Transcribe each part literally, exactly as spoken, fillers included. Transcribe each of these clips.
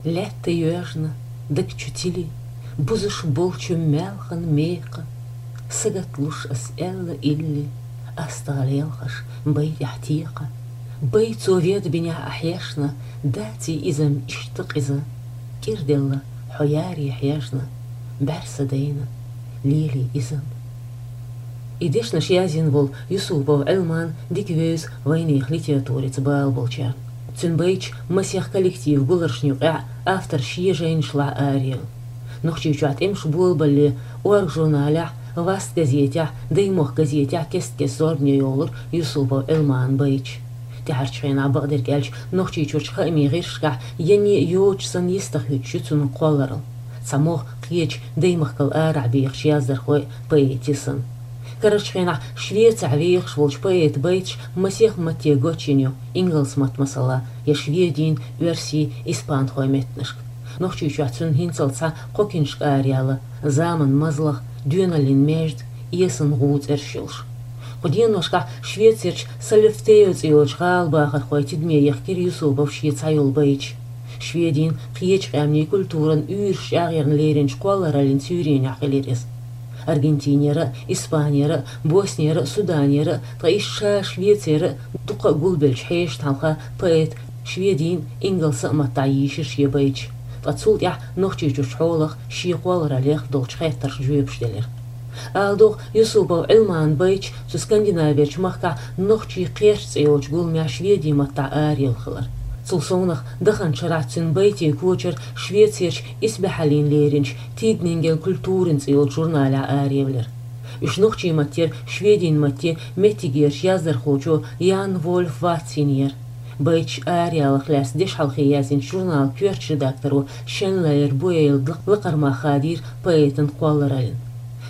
Лаьтта йоьжна, даг чу тили, бузаш болчу маьлхан мекха, сагатлуш ас аьлла илли, астагӀа лелхаш бай тӀехь текха. Бай цо ведбинехь а хьешна, даций иза-м иштта къиза, кӀирделла хьо яре хьежна, бӀаьрса дайна, лелий иза-м. И дешнаш язйина волу Юсупов Ӏилман дика вевза вайнехан литературица бала болчарна. Цуьнан байташ масех коллектив гуларшна юкъехь автор шен жайнашлахь араелла. Нохчийчохь тӀемаш болабалале «Орга» журналехь, «Васт» газетехь, «Даймохк» газетехь кест-кеста зорбане йолура Юсупов Ӏилманан байташ. ТӀаьхьарчу хенахь, бакъдерг аьлча, Нохчийчуьрчу хаамийн гӀирсашкахь ян а йоцуш санна йистехь хӀуьттуш ю цуьнан кхолларалла. Цхьа могӀа кхечу даймахкал арахь бехачу яздархойн, поэтийн санна. Карарчу хенахь Швецехь вехаш волчу поэтан байташ масех матте гочйина ю, ингалс матта, масала, я шведийн, оьрсийн, испанхойн меттанашка. Нохчийчохь цуьнан хӀинццалц цхьа кхо киншка араяьлла: «Заман мазлах», «Доьналлин маьждиг», «Эсан гӀу» цӀераш йолуш. Кху деношкахь Швецерчу Соллефтео цӀе йолчу гӀала бахархойн тидаме яхкира Юсуповн шен цхьайолу байташ. Шведийн, кхечу къаьмнийн культуран уьйраш чӀагӀъярна леринчу кхоллараллин суьйренехь хилира иза. Аргентинера а, Испанера а, Боснера а, Суданера а, ткъа иштта ша Швецера а дуккха а гулбеллачу хьешан хьалха поэта шведийн, ингалсан а маттахь йийшира шен байташ, ткъа цул тӀаьхьа Нохчийчуьрчу хьолах, шен кхоллараллех долчу хеттаршна жоьпаш делира. Ала догӀу, Юсупов Ӏилманан байташ цу Скандинаверчу махкахь «Нохчийн кхерч» цӀе йолчу гуламехь шведийн маттахь араелла хилар. Цул совнаха, даханчу шарахь цуьнан байтийн кочар Швецерчу исбаьхьаллина леринчу «Тиднинген культурин» цӀе йолчу журналехь араевлира. Уьш нохчийн маттера шведийн матте меттигерчу яздархочо Ян Вольф Ватцинера. Байташ араяларх лаьцна дешхьалхе яздинчу журналан коьртачу редакторо Шенлайер Буэйла лакхара мах хадийра поэтан кхоллараллина.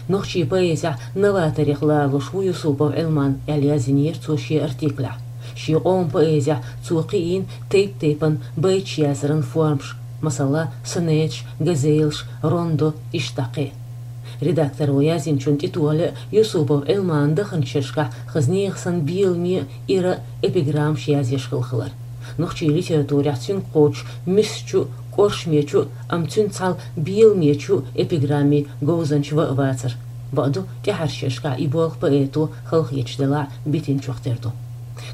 Нохчийн поэзехь новаторех ларалуш ву Юсупов Ӏилман, аьлла язйинера цо шен артиклехь. Шен къоман поэзехь цо кхиийна тайп-тайпана байташ яздаран формаш, масала, сонеташ, газелаш, рондо, иштта кхин. Редакторо язйинчунна тӀетоьхна Юсупов Ӏилманан даханчу шерашкахь хаза нехан санна беламе а, ира а эпиграммаш язъеш хилла хилар. Нохчийн литературехь цуьнга кхочуш мисачу а, кӀоршамечу а, амма цуьнца цхьаьна беламечу а эпиграммийн говзанча ван а вацара. Бакъду, тӀаьхьарчу шерашкахь и болх поэто, халахеташ делахь а, битинчух тера ду.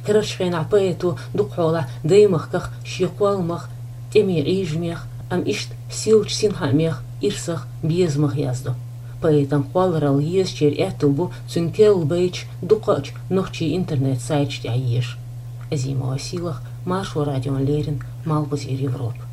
Карарчу хенахь поэто дукхахьолахь даймахках, шен кхолламах, тӀеман Ӏийжамех, амма иштта сийлачу синхаамех, ирсах, безамах яздо. Поэтан кхолларалла езачеран аьтто бу цуьнан керла байташ дукхахчу нохчийн интернет-сайташ тӀехь езаш. Азимова Сийлаха, Маршо радиона леррина, Малхбузера Европа.